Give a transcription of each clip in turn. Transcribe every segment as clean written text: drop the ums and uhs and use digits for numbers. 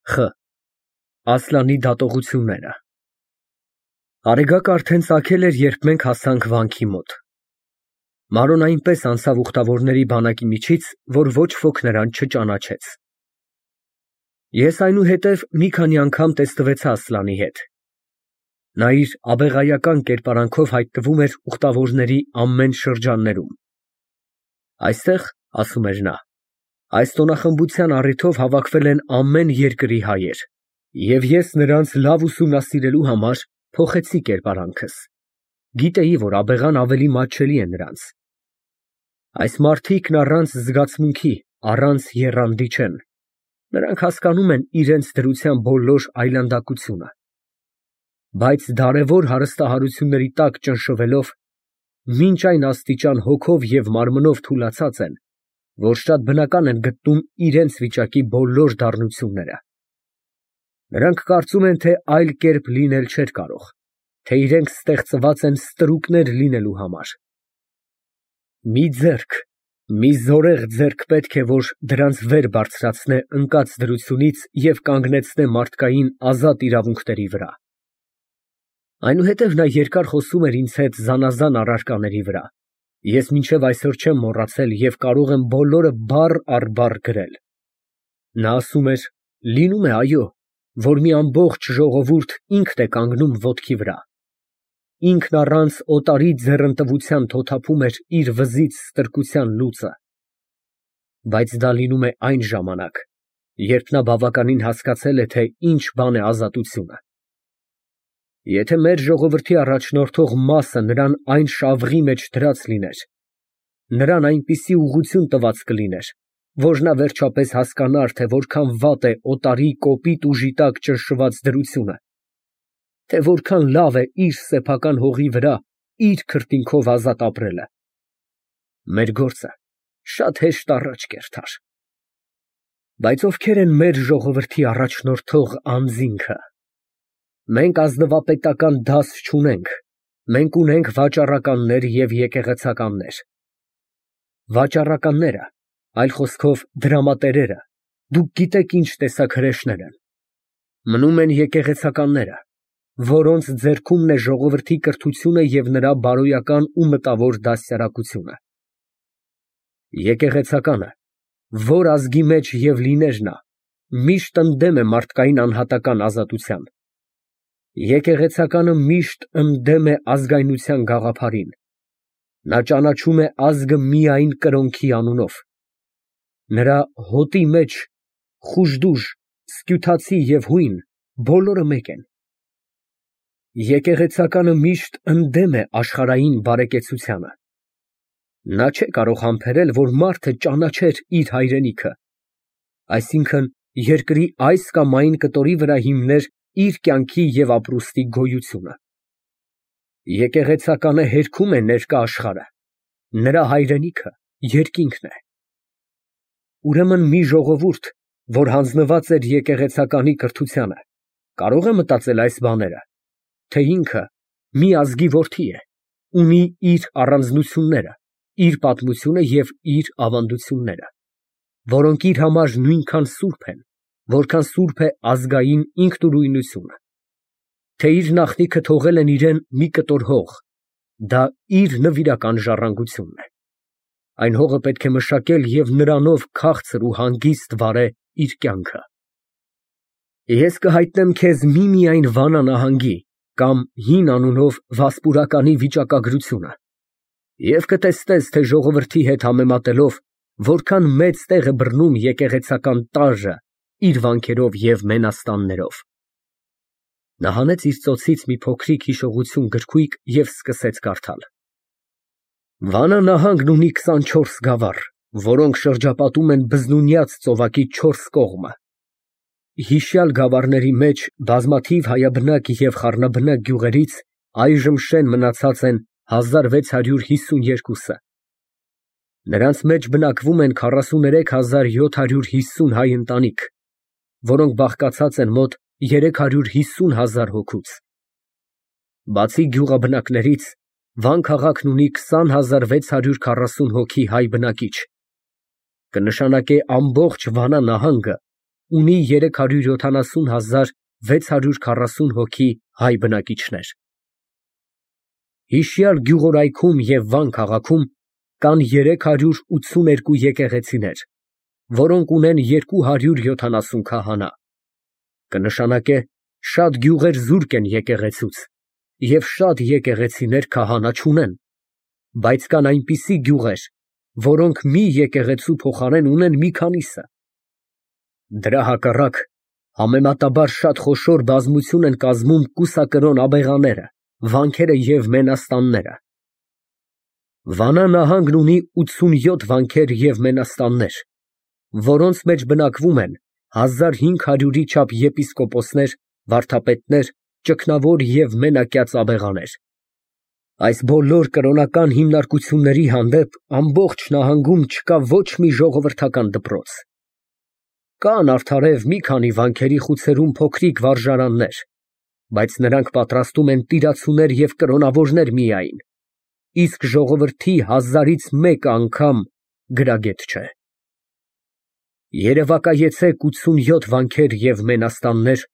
Խ. Ասլանի դատողությունները։ Արեգակը արդեն ծագել էր, երբ մենք հասանք վանքի մոտ։ Մանրոն այնպես անցավ ուխտավորների բանակի միջից, որ ոչ ոք նրան չճանաչեց։ Ես այնուհետև մի քանի անգամ տեսնվեցա Ասլանի հետ։ Նա իր աբեղայական կերպարանքով հայտնվում էր ուխտավորների ամեն շրջաններում։ Այստեղ, ասում էր նա, այս տոնախմբության առիթով հավաքվել են ամեն երկրի հայեր, և ես նրանց լավ ուսումնասիրելու համար փոխեցի կերպարանքս, գիտեի, որ աբեղան ավելի մատչելի է նրանց։ Այս մարդիկն առանց զգացմունքի, առանց եռանդի չեն, նրանք հասկանում են իրենց դրության բոլոր այլանդակությունը, բայց դարավոր հարստահարությունների տակ ճնշվելով, մինչ այն աստիճան հոգով և մարմնով թուլացած են, որ շատ բնական են գտնում իրենց վիճակի բոլոր դառնությունները։ Նրանք կարծում են, թե այլ կերպ լինել չէր կարող, թե իրենք ստեղծված են ստրուկներ լինելու համար։ Մի ձեռք, մի զորեղ ձեռք պետք է, որ դրանց վեր բարձրացնե ընկած դրությունից և կանգնեցնե մարդկային ազատ իրավունքների վրա։ Այնուհետև նա երկար խոսում էր ինձ հետ զանազան առարկաների վրա։ Ես մինչև այսօր չեմ մոռացել և կարող եմ բոլորը բառ առ բառ գրել։ Նա ասում էր. լինում է, այո, որ մի ամբողջ ժողովուրդ ինքն է կանգնում ոտքի վրա, ինքն առանց օտարի ձեռնտվության թոթափում էր իր վզից ստրկության լուծը, բայց դա լինում է այն ժամանակ, երբ նա բավականին հասկացել է, թե ինչ բան է ազատությունը։ Եթե մեր ժողովրդի առաջնորդող մասը նրան այն շավղի մեջ դրած լիներ, նրան այնպիսի ուղղություն տված կլիներ, որ նա վերջապես հասկանար, թե որքան վատ է օտարի կոպիտ ուժի տակ ճնշված դրությունը, թե որքան լավ է իր սեփական հողի վրա իր քրտինքով ազատ ապրելը, մեր գործը շատ հեշտ առաջ կերթար։ Բայց ովքեր են մեր ժողովրդի առաջնորդող անձինքը։ Մենք ազնվապետական դաս չունենք, մենք ունենք վաճառականներ և եկեղեցականներ։ Վաճառականները, այլ խոսքով դրամատերերը, դուք գիտեք ինչ տեսակ հրեշներ են։ Մնում են եկեղեցականները, որոնց ձեռքումն է ժողովրդի կրթությունը և նրա բարոյական ու մտավոր դաստիարակությունը։ Եկեղեցականը, որ ազգի մեջ և լիներ նա, միշտ ընդդեմ է մարդկային անհատական ազատության։ Եկեղեցականը միշտ ընդդեմ է ազգայնության գաղափարին։ Նա ճանաչում է ազգը միայն կրոնքի անունով։ Նրա հոտի մեջ խուժդուժ, սքյութացի և հույն բոլորը մեկ են։ Եկեղեցականը միշտ ընդդեմ է աշխարհային բարեկեցությանը։ Նա չէ կարող համբերել, որ մարդը ճանաչեր իր հայրենիքը, այսինքն երկրի այս կամ այն կտորի վրա հիմներ իր կյանքի և ապրուստի գոյությունը։ Եկեղեցականը հերքում է ներկա աշխարհը, նրա հայրենիքը երկինքն է։ Ուրեմն մի ժողովուրդ, որ հանձնված էր եկեղեցականի կրթությանը, կարող է մտածել այս բաները, թե ինքը մի ազգի որդի է, ունի իր առանձնությունները, իր պատմությունը և իր ավանդությունները, որոնք իր համար նույնքան սուրբ են, որքան սուրբ է ազգային ինքնուրույնությունը, թե իր նախնիքը թողել են իրեն մի կտոր հող, դա իր նվիրական ժառանգությունն է։ Այն հողը պետք է մշակել և նրանով քաղցր ու հանգիստ վարե իր կյանքը։ Ես կհայտնեմ քեզ միմիայն Վանա նահանգի կամ Հին անունով Վասպուրականի վիճակագրությունը, և կտեսնես, թե ժողովրդի հետ համեմատելով որքան մեծ տեղ է բռնում եկեղեցական տարրը իր վանքերով և մենաստաններով։ Նա հանեց իր ծոցից մի փոքրիկ հիշողություն գրքույկ և սկսեց կարդալ։ Վանա նահանգն ունի 24 գավառ, որոնք շրջապատում են բզնունյաց ծովակի 4 կողմը։ Հիշյալ գավառների մեջ բազմաթիվ հայաբնակ և խառնաբնակ գյուղերից այժմ շեն մնացած են 1652-ը։ Նրանց մեջ բնակվում են 43750 հայ ընտանիք, որոնք բաղկացած են մոտ 350,000 հոգուց։ Բացի գյուղաբնակներից, Վան քաղաքն ունի 20640 հոգի հայ բնակիչ, կնշանակե ամբողջ Վանա նահանգը ունի 370,640 հոգի հայ բնակիչներ։ Հիշյալ գյուղորայքում և Վան քաղաքում կան 382 եկեղեցիներ, որոնք ունեն 270 քահանա, կնշանակե շատ գյուղեր զուրկ են եկեղեցուց և շատ եկեղեցիներ քահանա չունեն, բայց կան այնպիսի գյուղեր, որոնք մի եկեղեցու փոխարեն ունեն մի քանիսը։ Դրա հակառակ, համեմատաբար շատ խոշոր բազմություն են կազմում կուսակրոն աբեղաները, վանքերը և մենաստանները։ Վանա նահանգն ունի 87 վանքեր և մենաստաններ, որոնց մեջ բնակվում են 1500-ի չափ եպիսկոպոսներ, վարդապետներ, ճգնավոր և մենակյաց աբեղաներ։ Այս բոլոր կրոնական հիմնարկությունների հանդեպ ամբողջ նահանգում չկա ոչ մի ժողովրդական դպրոց։ Կան արդարև մի քանի վանքերի խուցերում փոքրիկ վարժարաններ, բայց նրանք պատրաստում են տիրացուներ և կրոնավորներ միայն, իսկ ժողովրդի 1000-ից մեկը անգամ գրագետ չէ։ Երևակայեցեք 87 վանքեր և մենաստաններ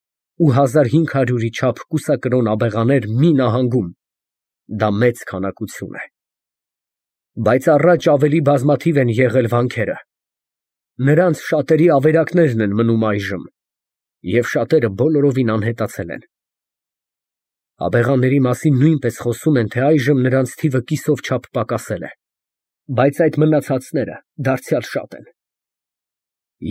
ու 1500-ի չափ կուսակրոն աբեղաներ մի նահանգում, դա մեծ քանակություն է։ Բայց առաջ ավելի բազմաթիվ են եղել վանքերը, նրանց շատերի ավերակներն են մնում այժմ, և շատերը բոլորովին անհետացել են։ Աբեղաների մասին նույնպես խոսում են, թե այժմ նրանց թիվը կիսով չափ պակասել է, բայց այդ մնացածները դարձյալ շատ են։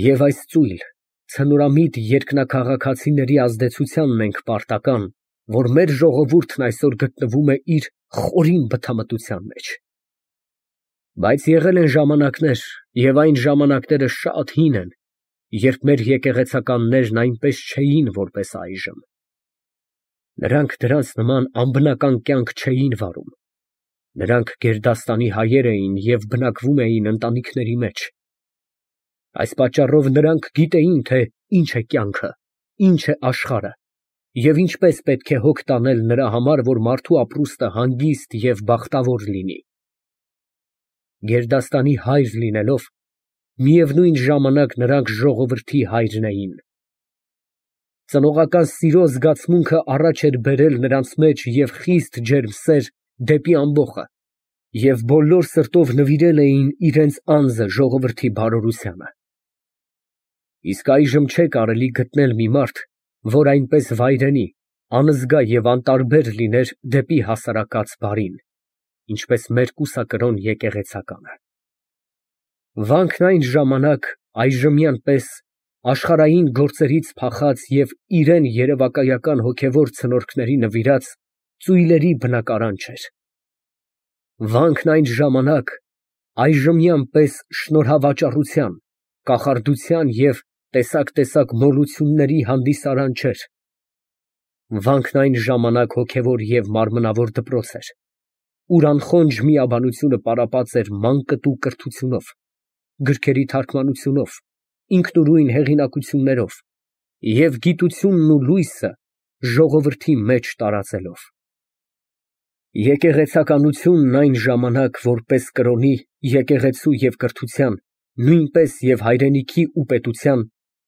Եվ այս ծույլ, ցնորամիտ երկնաքաղաքացիների ազդեցությանն ենք պարտական, որ մեր ժողովուրդն այսօր գտնվում է իր խորին բթամտության մեջ։ Բայց եղել են ժամանակներ, և այն ժամանակները շատ հին են, երբ մեր եկեղեցականներն այնպես չէին, որպես այժմ։ Նրանք դրանց նման անբնական կյանք չէին վարում։ Նրանք գերդաստանի հայեր էին և բնակվում էին ընտանիքների մեջ։ Այս պատճառով նրանք գիտեին, թե ինչ է կյանքը, ինչ է աշխարհը և ինչպես պետք է հոգ տանել նրա համար, որ մարդու ապրուստը հանգիստ և բախտավոր լինի։ Գերդաստանի հայր լինելով, միևնույն ժամանակ նրանք ժողովրդի հայրն էին։ Ծնողական սիրո զգացմունքը առաջ էր բերել նրանց մեջ և խիստ ջերմ սեր դեպի ամբոխը, և բոլոր սրտով նվիրել էին իրենց անձը ժողովրդի բարօրությանը։ Իսկ այժմ չէ կարելի գտնել մի մարդ, որ այնպես վայրենի, անզգա և անտարբեր լիներ դեպի հասարակած բարին, ինչպես մեր կուսակրոն եկեղեցականը։ Վանքն այն ժամանակ այժմյան պես աշխարհային գործերից փախած և իրան երևակայական հոգևոր ցնորքների նվիրած ծույլերի բնակարան չէր։ Վանքն այն ժամանակ այժմյան պես շնորհավաճառության, կախարդության և տեսակ մոլությունների հանդիսարան չէր։ Վանքն այն ժամանակ հոգևոր և մարմնավոր դպրոց էր, ուր անխոնջ միաբանությունը պարապած էր մանկտու կրթությունով, գրքերի թարգմանությունով, ինքնուրույն հեղինակություններով և գիտությունն ու լույսը ժողովրդի մեջ տարածելով։ Եկեղեցականությունն այն ժամանակ որպես կրոնի, եկեղեցու և կրթության, նույնպես և հայրենիքի ու պետության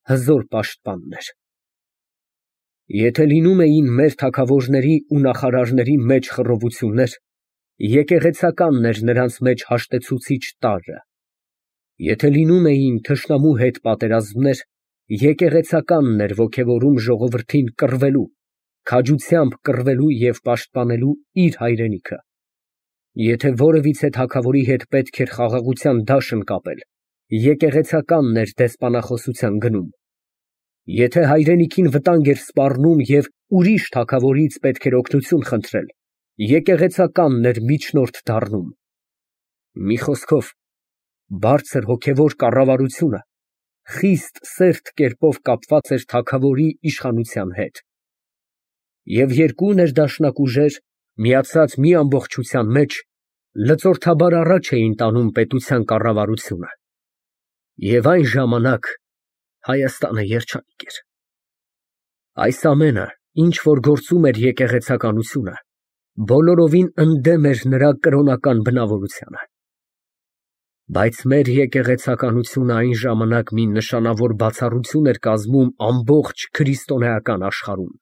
հզոր պաշտպանն էր։ Եթե լինում էին մեր թագավորների ու նախարարների մեջ խռովություններ, եկեղեցականն էր նրանց մեջ հաշտեցուցիչ տարրը։ Եթե լինում էին թշնամու հետ պատերազմներ, եկեղեցականն էր ոգևորում ժողովրդին կռվելու, քաջությամբ կռվելու և պաշտպանելու իր հայրենիքը։ Եթե որևիցե թագավորի հետ պետք էր խաղաղության դաշն կապել, եկեղեցականն էր դեսպանախոսության գնում։ Եթե հայրենիքին վտանգ էր սպառնում և ուրիշ թագավորից պետք էր օգնություն խնդրել, եկեղեցականն էր միջնորդ դառնում։ Մի խոսքով, բարձր հոգևոր կառավարությունը խիստ սերտ կերպով կապված էր թագավորի իշխանության հետ։ Եվ երկու ներդաշնակ ուժեր, միացած մի ամբողջության մեջ, լծորթաբար առաջ էին տանում պետության կառավարությունը։ Եվ այն ժամանակ Հայաստանը երջանիկ էր։ Այս ամենը, ինչ որ գործում էր եկեղեցականությունը, բոլորովին ընդդեմ էր նրա կրոնական բնավորությանը։ Բայց մեր եկեղեցականությունը այն ժամանակ մի նշանավոր բացառություն էր կազմում ամբողջ քրիստոնեական աշխարհում.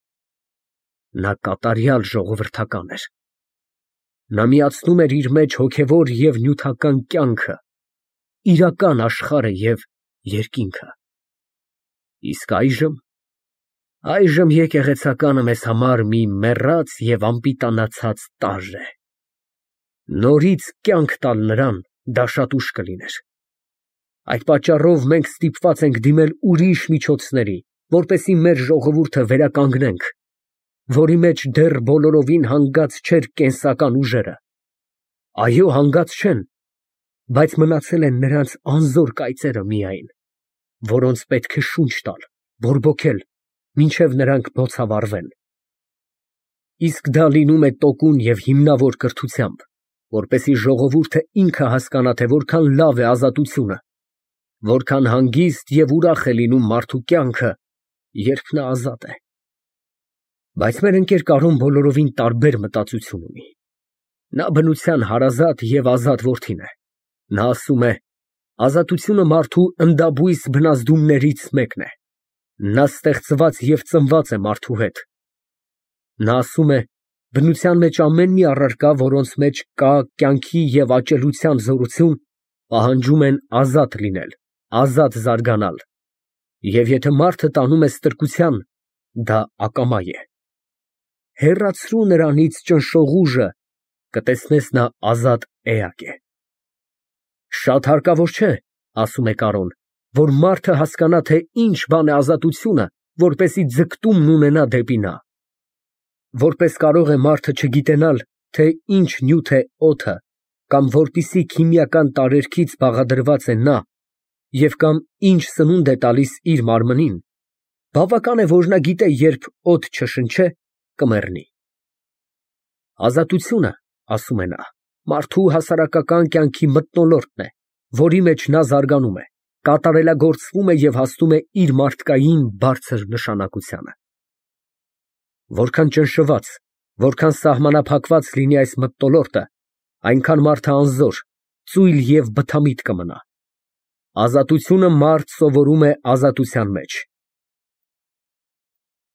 նա կատարյալ ժողովրդական էր։ Նա միացնում էր իր մեջ հոգևոր և նյութական կյանքը, իրական աշխարհը և երկինքը։ Իսկ այժմ եկեղեցականը մեզ համար մի մեռած և անպիտանացած տարր է։ Նորից կյանք տալ նրան դա շատ ուշ կլիներ։ Այդ պատճառով մենք ստիպված ենք դիմել ուրիշ միջոցների, որպեսզի մեր ժողովուրդը վերականգնենք, որի մեջ դեռ բոլորովին հանգած չէր կենսական ուժերը։ Այո, հանգած չեն, բայց մնացել են նրանց անզոր կայծերը միայն, որոնց պետք է շունչ տալ, բորբոքել, մինչև նրանք բոցավառվեն։ Իսկ դա լինում է տոկուն և հիմնավոր կրթությամբ, որպեսզի ժողովուրդը ինքը հասկանա, թե որքան լավ է ազատությունը, որքան հանգիստ և ուրախ է լինում մարդու կյանքը, երբ նա ազատ է։ Բայց մեր ընկեր Կարոն բոլորովին տարբեր մտածություն ունի։ Նա բնության հարազատ և ազատ որդին է։ Նա ասում է. ազատությունը մարդու ընդաբույս բնազդումներից մեկն է։ Նա ստեղծված և ծնված է մարդու հետ։ Նա ասում է. բնության մեջ ամեն մի առարկա, որոնց մեջ կա կյանքի և աճելության զորություն, պահանջում են ազատ լինել, ազատ զարգանալ, և եթե մարդը տանում է ստրկության, դա ակամա է։ Հեռացրու նրանից ճնշող ուժը, կտեսնես նա ազատ էակ է։ Շատ հարկավոր չէ, ասում է Կարոն, որ մարդը հասկանա, թե ինչ բան է ազատությունը, որպեսզի ձգտումն ունենա դեպի նա։ Որպես կարող է մարդը չգիտենալ, թե ինչ նյութ է օդը, կամ որպիսի քիմիական տարերքից բաղադրված է նա, և կամ ինչ սնունդ է տալիս իր մարմնին, բավական է, որ նա գիտե, երբ օդ չշնչե, կմեռնի։ Ազատությունը, ասում է նա, մարդու հասարակական կյանքի մթնոլորտն է, որի մեջ նա զարգանում է, կատարելագործվում է և հասնում է իր մարդկային բարձր նշանակությանը։ Որքան ճնշված, որքան սահմանափակված լինի այս մթնոլորտը, այնքան մարդը անզոր, ծույլ և բթամիտ կմնա։ Ազատությունը մարդ սովորում է ազատության մեջ,